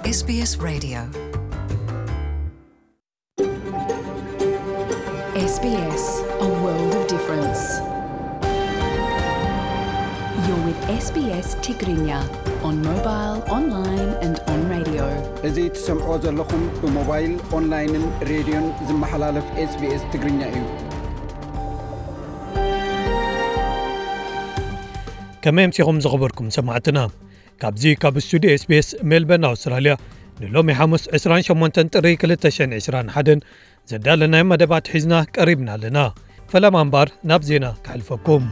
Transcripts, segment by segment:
S B S Radio. S B S, a world of difference. You're with S B S Tigrinya on mobile, online and on radio. እዚ ትሰምዖ ዘለኹም ብሞባይል፣ ኦንላይንን ሬድዮን ዝመሓላለፍ S B S ትግርኛ እዩ። ከመይ ኣምሲኹም ዝኸበርኩም ሰማዕትና? ካብዚ ካብ ስቱዲዮ S B S ሜልበርን ኣውስትራልያ ንሎሚ ሓሙስ ዕስራን ሸሞንተን ጥሪ ክልተ ሽሕን ዕስራን ሓደን ዘዳለናዮ መደባት ሒዝና ቀሪብና ኣለና። ፈለማ እምበኣር ናብ ዜና ከሕልፈኩም።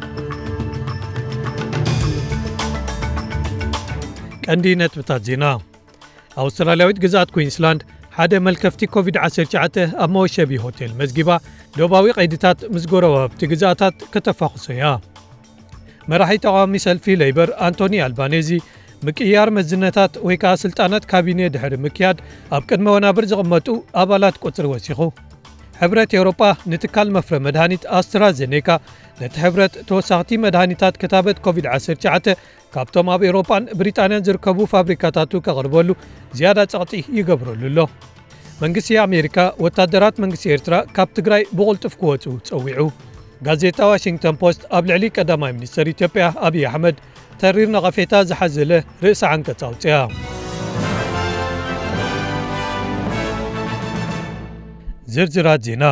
ቀንዲ ነጥብታት ዜና። ኣውስትራልያዊት ግዝኣት ኩዊንስላንድ ሓደ መልከፍቲ ኮቪድ ዓሰርተ ትሽዓተ ኣብ መወሸቢ ሆቴል መዝጊባ፣ ዶባዊ ቀይድታት ምስ ጎረባብቲ ግዝኣታት ከተፋኹሶ እያ። መራሒ ተቓዋሚ ሰልፊ ሌይበር ኣንቶኒ ኣልባኔዚ፣ ምቅይያር መዝነታት ወይ ከኣ ስልጣናት ካቢነ ድሕሪ ምክያድ፣ ኣብ ቅድመ ወናብር ዝቕመጡ ኣባላት ቁጽሪ ወሲኹ። ሕብረት ኤውሮጳ ንትካል መፍረ መድሃኒት ኣስትራዜኔካ፣ ነቲ ሕብረት ተወሳኽቲ መድሃኒታት ክታበት ኮቪድ ዓሰርተ ትሽዓተ ካብቶም ኣብ ኤውሮጳን ብሪጣንያን ዝርከቡ ፋብሪካታቱ ከቕርበሉ ዝያዳ ጸቕጢ ይገብረሉ ኣሎ። መንግስቲ ኣሜሪካ፣ ወታደራት መንግስቲ ኤርትራ ካብ ትግራይ ብቕልጡፍ ክወጹ ጸዊዑ። ጋዜጣ ዋሽንግተን ፖስት ኣብ ልዕሊ ቀዳማይ ሚኒስተር ኢትዮጵያ ኣብይ ኣሕመድ ተሪር ነቐፌታ ዝሓዘለ ርእሰ ዓንቀጽ ኣውጽኣ። ዝርዝራት ዜና።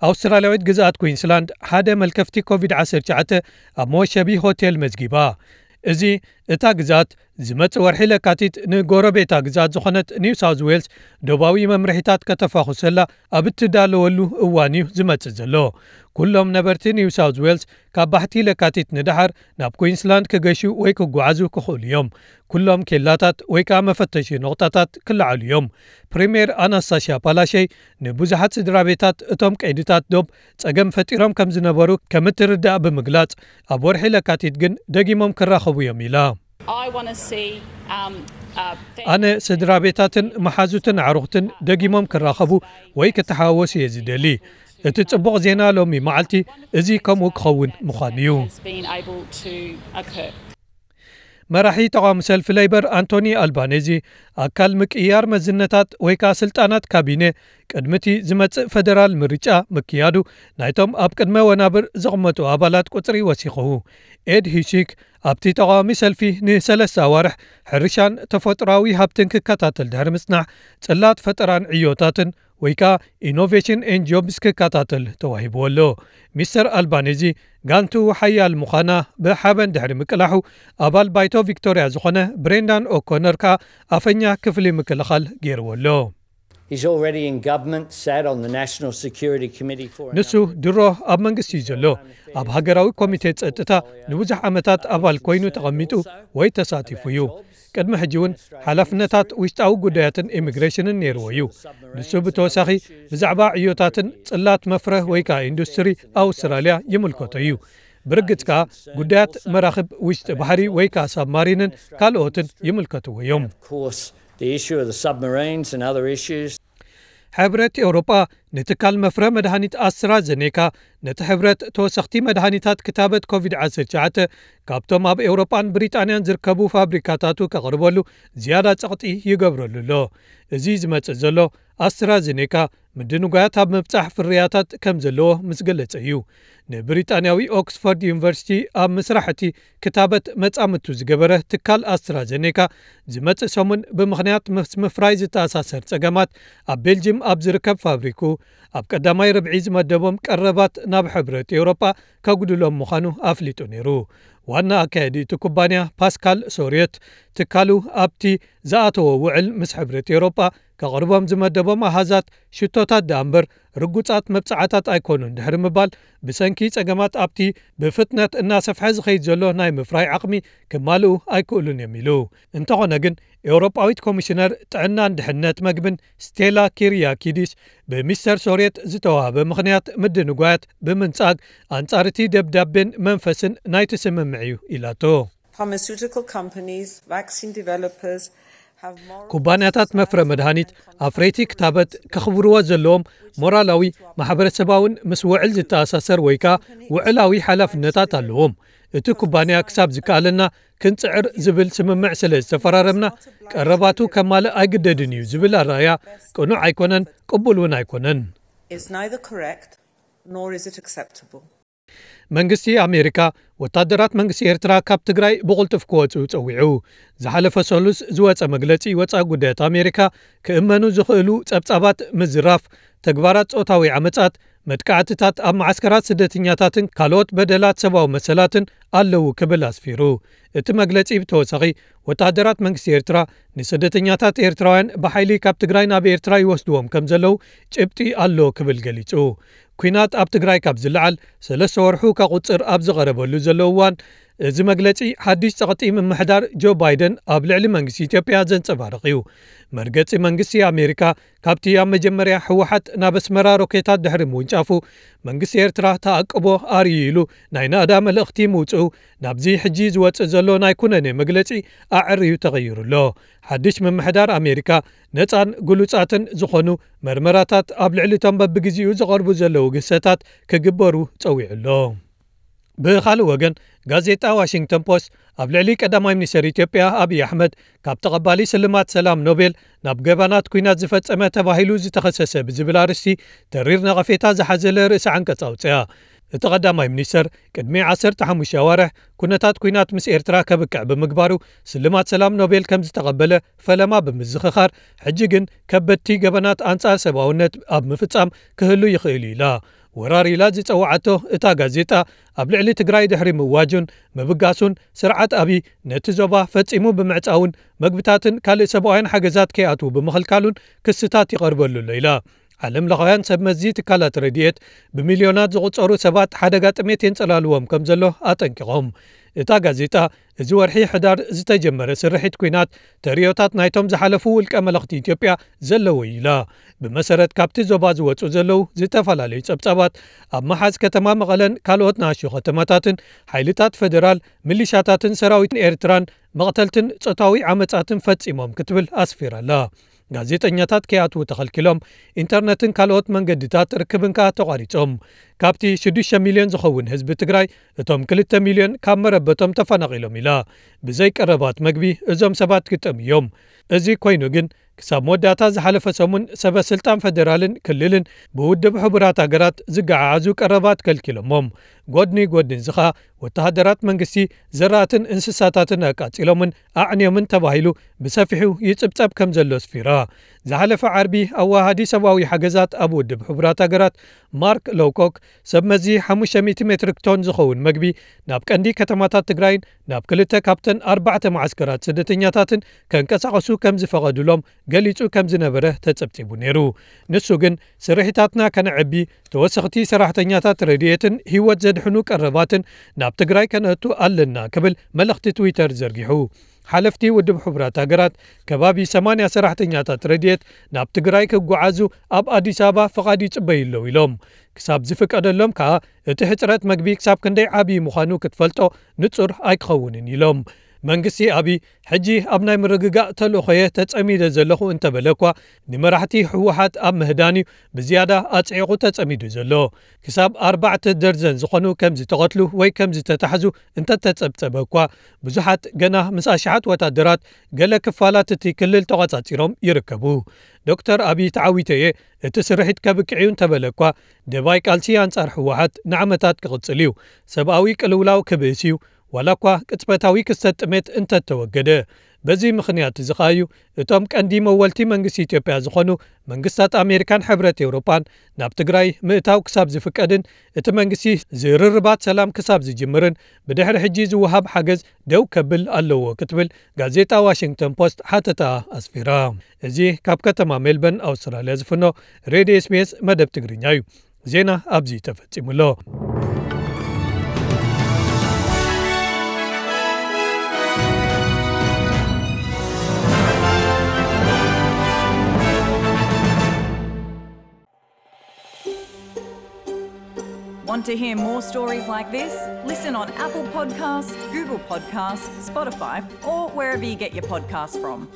ኣውስትራልያዊት ግዝኣት ኩዊንስላንድ ሓደ መልከፍቲ ኮቪድ ዓሰርተ ትሽዓተ ኣብ መወሸቢ ሆቴል መዝጊባ። እዚ እታ ግዝኣት ዝመጽእ ወርሒ ለካቲት ንጎረቤታ ግዝኣት ዝኾነት ኒው ሳውዝ ዌልስ ዶባዊ መምርሒታት ከተፋኹሰላ ኣብ እትዳለወሉ እዋን እዩ ዝመጽእ ዘሎ። ኩሎም ነበርቲ ኒው ሳውዝ ዌልስ ካብ ባሕቲ ለካቲት ንደሓር ናብ ኩዊንስላንድ ክገሹ ወይ ክጓዓዙ ክኽእሉ እዮም። ኩሎም ኬላታት ወይ ከኣ መፈተሺ ነቑጣታት ክለዓሉ እዮም። ፕሪምየር ኣናስታሽያ ፓላሸይ ንብዙሓት ስድራ ቤታት እቶም ቀይድታት ዶብ ጸገም ፈጢሮም ከም ዝነበሩ ከም እትርዳእ ብምግላጽ፣ ኣብ ወርሒ ለካቲት ግን ደጊሞም ክራኸቡ እዮም ኢላ። I want to see, um, uh, fa- ኣነ ስድራ ቤታትን መሓዙትን ኣዕሩኽትን ደጊሞም ክራኸቡ ወይ ክተሓዋወሱ እየ ዝደሊ። እቲ ጽቡቕ ዜና ሎሚ መዓልቲ እዚ ከምኡ ክኸውን ምዃኑ እዩ። Has been able to occur. መራሒ ተቓዋሚ ሰልፊ ሌይበር ኣንቶኒ ኣልባኔዚ፣ ኣካል ምቅይያር መዝነታት ወይ ከኣ ስልጣናት ካቢነ ቅድሚ እቲ ዝመጽእ ፈደራል ምርጫ ምክያዱ፣ ናይቶም ኣብ ቅድመ ወናብር ዝቕመጡ ኣባላት ቁጽሪ ወሲኹ። ኤድ ሂሲክ ኣብቲ ተቓዋሚ ሰልፊ ንሰለስተ ኣዋርሕ ሕርሻን ተፈጥሮኣዊ ሃብትን ክከታተል ድሕሪ ምጽናሕ፣ ጽላት ፈጠራን ዕዮታትን ወይ ከኣ ኢኖቬሽን ኤንድ ጆብስ ክከታተል ተዋሂብዎ ኣሎ። ሚስተር ኣልባኔዚ ጋንቱ ሓያል ምዃና ብሓበን ድሕሪ ምቅላሑ፣ ኣባል ባይቶ ቪክቶርያ ዝኾነ ብሬንዳን ኦኮነር ከኣ ኣፈኛ ክፍሊ ምክልኻል ገይርዎ ኣሎ። He's already in government, sat on the National Security Committee for a ንሱ number of ድሮ ኣብ መንግስቲ እዩ ዘሎ። ኣብ ሃገራዊ ኮሚቴ ጸጥታ ንብዙሕ ዓመታት ኣባል ኮይኑ ተቐሚጡ ወይ ተሳቲፉ እዩ። ቅድሚ ሕጂ እውን ሓላፍነታት ውሽጣዊ ጉዳያትን ኢሚግሬሽንን ነይርዎ እዩ። ንሱ ብተወሳኺ ብዛዕባ ዕዮታትን ጽላት መፍረ ወይ ከኣ ኢንዱስትሪ ኣውስትራልያ ይምልከቶ እዩ። ብርግጽ ከኣ ጉዳያት መራኽብ ውሽጢ ባሕሪ ወይ ከኣ ሳብማሪንን ካልኦትን ይምልከትዎ እዮም። Of course, the issue of the submarines and other issues. ሕብረት ኤውሮጳ ንትካል መፍረ መድሃኒት ኣስትራዘኔካ ነቲ ሕብረት ተወሰኽቲ መድሃኒታት ክታበት ኮቪድ ዓሰርተ ትሽዓተ ካብቶም ኣብ ኤውሮጳን ብሪጣንያን ዝርከቡ ፋብሪካታቱ ከቕርበሉ ዝያዳ ጸቕጢ ይገብረሉ ኣሎ። እዚ ዝመጽእ ዘሎ ኣስትራዘኔካ ምድንጓያት ኣብ ምብጻሕ ፍርያታት ከም ዘለዎ ምስ ገለጸ እዩ። ንብሪጣንያዊ ኦክስፎርድ ዩኒቨርሲቲ ኣብ ምስራሕ እቲ ክታበት መጻምድቱ ዝገበረ ትካል ኣስትራዘኔካ ዝመጽእ ሰሙን ብምኽንያት ምስ ምፍራይ ዝተኣሳሰር ጸገማት ኣብ ቤልጅም ኣብ ዝርከብ ፋብሪኩ ኣብ ቀዳማይ ርብዒ ዝመደቦም ቀረባት ናብ ሕብረት ኤውሮጳ ከጉድሎም ምዃኑ ኣፍሊጡ ነይሩ። ዋና ኣካያዲ እቲ ኩባንያ ፓስካል ሶርየት ትካሉ ኣብቲ ዝኣተዎ ውዕል ምስ ሕብረት ኤውሮጳ ከቕርቦም ዝመደቦም ኣሃዛት ሽቶታት ደኣ እምበር ርጉጻት መብጽዓታት ኣይኮኑን ድሕሪ ምባል ብሰንኪ ጸገማት ኣብቲ ብፍጥነት እናሰፍሐ ዝኸይድ ዘሎ ናይ ምፍራይ ዓቕሚ ክማልኡ ኣይክእሉን እዮም ኢሉ። እንተኾነ ግን ኤውሮጳዊት ኮሚሽነር ጥዕናን ድሕነት መግብን ስቴላ ኪሪያኪዲስ ብሚስተር ሶርየት ዝተዋህበ ምኽንያት ምድንጓያት ብምንጻግ ኣንጻር እቲ ደብዳቤን መንፈስን ናይቲ ስምምዕ እዩ ኢላቶ። Pharmaceutical companies, vaccine developers have moral ኩባንያታት መፍረ መድሃኒት ኣፍረይቲ ክታበት ከኽብርዎ ዘለዎም ሞራላዊ ማሕበረሰባውን ምስ ውዕል ዝተኣሳሰር ወይ ከኣ ውዕላዊ ሓላፍነታት ኣለዎም። እቲ ኩባንያ ክሳብ ዝከኣለና ክንጽዕር ዝብል ስምምዕ ስለ ዝተፈራረምና ቀረባቱ ከማልእ ኣይግደድን እዩ ዝብል ኣረኣእያ ቅኑዕ ኣይኮነን፣ ቅቡል እውን ኣይኮነን። Is neither correct nor is it acceptable. መንግስቲ ኣሜሪካ ወታደራት መንግስቲ ኤርትራ ካብ ትግራይ ብቕልጡፍ ክወፁ ፀዊዑ። ዝሓለፈ ሰሉስ ዝወፀ መግለፂ ወፃኢ ጉዳያት ኣሜሪካ ክእመኑ ዝኽእሉ ፀብፃባት ምዝራፍ፣ ተግባራት ፆታዊ ዓመፃት፣ መጥቃዕትታት ኣብ መዓስከራት ስደተኛታትን ካልኦት በደላት ሰብኣዊ መሰላትን ኣለዉ ክብል ኣስፊሩ። እቲ መግለፂ ብተወሳኺ ወታደራት መንግስቲ ኤርትራ ንስደተኛታት ኤርትራውያን ብሓይሊ ካብ ትግራይ ናብ ኤርትራ ይወስድዎም ከም ዘለዉ ጭብጢ ኣሎ ክብል ገሊጹ። ኲናት ኣብ ትግራይ ካብ ዝለዓል ሰለስተ ወርሑ ከቑጽር ኣብ ዝቐረበሉ ዘሎ እዋን፣ እዚ መግለጺ ሓድሽ ጸቕጢ ምምሕዳር ጆ ባይደን ኣብ ልዕሊ መንግስቲ ኢትዮጵያ ዘንጸባርቕ እዩ። መርገጺ መንግስቲ ኣሜሪካ ካብቲ ኣብ መጀመርያ ህወሓት ናብ ኣስመራ ሮኬታት ድሕሪ ምውንጫፉ መንግስቲ ኤርትራ ተኣቅቦ ኣርእዩ ኢሉ ናይ ናእዳ መልእኽቲ ምውፅኡ ናብዚ ሕጂ ዝወፅእ ዘሎ ናይ ኩነኔ መግለፂ ኣዕርዩ ተቐይሩ ኣሎ። ሓድሽ ምምሕዳር ኣሜሪካ ነፃን ግሉፃትን ዝኾኑ መርመራታት ኣብ ልዕሊ እቶም በብግዜኡ ዝቐርቡ ዘለዉ ግህሰታት ክግበሩ ፀዊዑ ኣሎ። ብኻልእ ወገን ጋዜጣ ዋሽንግተን ፖስት ኣብ ልዕሊ ቀዳማይ ሚኒስትር ኢትዮጵያ ኣብይ ኣሕመድ ካብ ተቐባሊ ስልማት ሰላም ኖቤል ናብ ገበናት ኲናት ዝፈጸመ ተባሂሉ ዝተኸሰሰ ብዝብል ኣርእስቲ ተሪር ነቐፌታ ዝሓዘለ ርእሲ ዓንቀጽ ኣውጽኣ። እቲ ቀዳማይ ሚኒስተር ቅድሚ ዓሰርተ ሓሙሽተ ኣዋርሕ ኩነታት ኲናት ምስ ኤርትራ ከብቅዕ ብምግባሩ ስልማት ሰላም ኖቤል ከም ዝተቐበለ ፈለማ ብምዝኽኻር፣ ሕጂ ግን ከበድቲ ገበናት ኣንጻር ሰብኣውነት ኣብ ምፍጻም ክህሉ ይኽእል እዩ ኢላ። ወራር ኢላ ዝጸውዓቶ እታ ጋዜጣ ኣብ ልዕሊ ትግራይ ድሕሪ ምእዋጁን ምብጋሱን ስርዓት ኣብይ ነቲ ዞባ ፈጺሙ ብምዕጻውን መግብታትን ካልእ ሰብኣውያን ሓገዛት ከይኣትዉ ብምኽልካሉን ክስታት ይቐርበሉ ኣሎ ኢላ። ዓለም ለኻውያን ሰብ መዚ ትካላት ረድኤት ብሚልዮናት ዝቑጸሩ ሰባት ሓደጋ ጥሜት የንጸላልዎም ከም ዘሎ ኣጠንቂቖም። እታ ጋዜጣ እዚ ወርሒ ሕዳር ዝተጀመረ ስርሒት ኲናት ተርእዮታት ናይቶም ዝሓለፉ ውልቀ መለኽቲ ኢትዮጵያ ዘለዎ እዩ ኢላ። ብመሰረት ካብቲ ዞባ ዝወጹ ዘለዉ ዝተፈላለዩ ጸብጻባት ኣብ መሓዝ ከተማ መቐለን ካልኦት ንኣሽቱ ከተማታትን ሓይልታት ፈደራል፣ ሚሊሻታትን ሰራዊትን ኤርትራን መቕተልትን ጾታዊ ዓመጻትን ፈጺሞም ክትብል ኣስፊራ ኣላ። ጋዜጠኛታት ከይኣትዉ ተኸልኪሎም፣ ኢንተርነትን ካልኦት መንገድታት ርክብን ከኣ ተቋሪጾም። ካብቲ ሽዱሽተ ሚልዮን ዝኸውን ህዝቢ ትግራይ እቶም ክልተ ሚልዮን ካብ መረበቶም ተፈናቒሎም ኢላ። ብዘይ ቀረባት መግቢ እዞም ሰባት ክጠም እዮም። እዚ ኮይኑ ግን ክሳብ መወዳእታ ዝሓለፈ ሰሙን ሰበ ስልጣን ፈደራልን ክልልን ብውድብ ሕቡራት ሃገራት ዝገዓዓዙ ቀረባት ከልኪሎሞም። ጎድኒ ጎድኒ እዚ ኸኣ ወተሃደራት መንግስቲ ዘራእትን እንስሳታትን ኣቃጺሎምን ኣዕንዮምን ተባሂሉ ብሰፊሑ ይጽብጸብ ከም ዘሎ ኣስፊራ። ዝሓለፈ ዓርቢ ኣዋሃዲ ሰብኣዊ ሓገዛት ኣብ ውድብ ሕቡራት ሃገራት ማርክ ሎውኮክ ሰብ መዚ ሓሙሽተ ሚእቲ ሜትሪክ ቶን ዝኸውን መግቢ ናብ ቀንዲ ከተማታት ትግራይን ናብ ክልተ ካብተን ኣርባዕተ መዓስከራት ስደተኛታትን ከንቀሳቐሱ ከም ዝፈቐዱሎም ገሊጹ ከም ዝነበረ ተጸብጺቡ ነይሩ። ንሱ ግን ስርሒታትና ከነዕቢ፣ ተወሰኽቲ ሰራሕተኛታት ረድኤትን ህይወት ዘድሕኑ ቀረባትን ናብ ትግራይ ከነእቱ ኣለና ክብል መልእኽቲ ትዊተር ዘርጊሑ። ሓለፍቲ ውድብ ሕቡራት ሃገራት ከባቢ ሰማንያ ሰራሕተኛታት ረድኤት ናብ ትግራይ ክጓዓዙ ኣብ ኣዲስ ኣበባ ፍቓድ ይጽበዩ ኣለዉ ኢሎም። ክሳብ ዝፍቀደሎም ከኣ እቲ ሕጽረት መግቢ ክሳብ ክንደይ ዓብዪ ምዃኑ ክትፈልጦ ንጹር ኣይክኸውንን ኢሎም። መንግስቲ ኣብይ ሕጂ ኣብ ናይ ምርግጋእ ተልእኾየ ተጸሚደ ዘለኹ እንተበለ እኳ ንመራሕቲ ህወሓት ኣብ ምህዳን እዩ ብዝያዳ ኣጽዒቑ ተጸሚዱ ዘሎ። ክሳብ ኣርባዕተ ደርዘን ዝኾኑ ከም ዝተቐትሉ ወይ ከም ዝተታሕዙ እንተተጸብጸበ እኳ ብዙሓት ገና ምስ ኣሽሓት ወታደራት ገለ ክፋላት እቲ ክልል ተቖጻጺሮም ይርከቡ። ዶክተር ኣብይ ተዓዊተ እየ እቲ ስርሒት ከብቅዕ እዩ እንተበለ እኳ ደባይ ቃልሲ ኣንጻር ህወሓት ንዓመታት ክቕጽል እዩ። ሰብኣዊ ቅልውላው ክብእስ እዩ። ዋላ እኳ ቅጽበታዊ ክስተት ጥሜት እንተተወገደ። በዚ ምኽንያት እዚ ኸኣ እዩ እቶም ቀንዲ መወልቲ መንግስቲ ኢትዮጵያ ዝኾኑ መንግስታት ኣሜሪካን ሕብረት ኤውሮጳን ናብ ትግራይ ምእታው ክሳብ ዝፍቀድን እቲ መንግስቲ ዝርርባት ሰላም ክሳብ ዝጅምርን ብድሕሪ ሕጂ ዝወሃብ ሓገዝ ደው ከብል ኣለዎ ክትብል ጋዜጣ ዋሽንግተን ፖስት ሓተታ ኣስፊራ። እዚ ካብ ከተማ ሜልበርን ኣውስትራልያ ዝፍኖ ሬድዮ ኤስቢኤስ መደብ ትግርኛ እዩ። ዜና ኣብዚ ተፈጺሙ ኣሎ። Want to hear more stories like this? Listen on Apple Podcasts, Google Podcasts, Spotify, or wherever you get your podcasts from.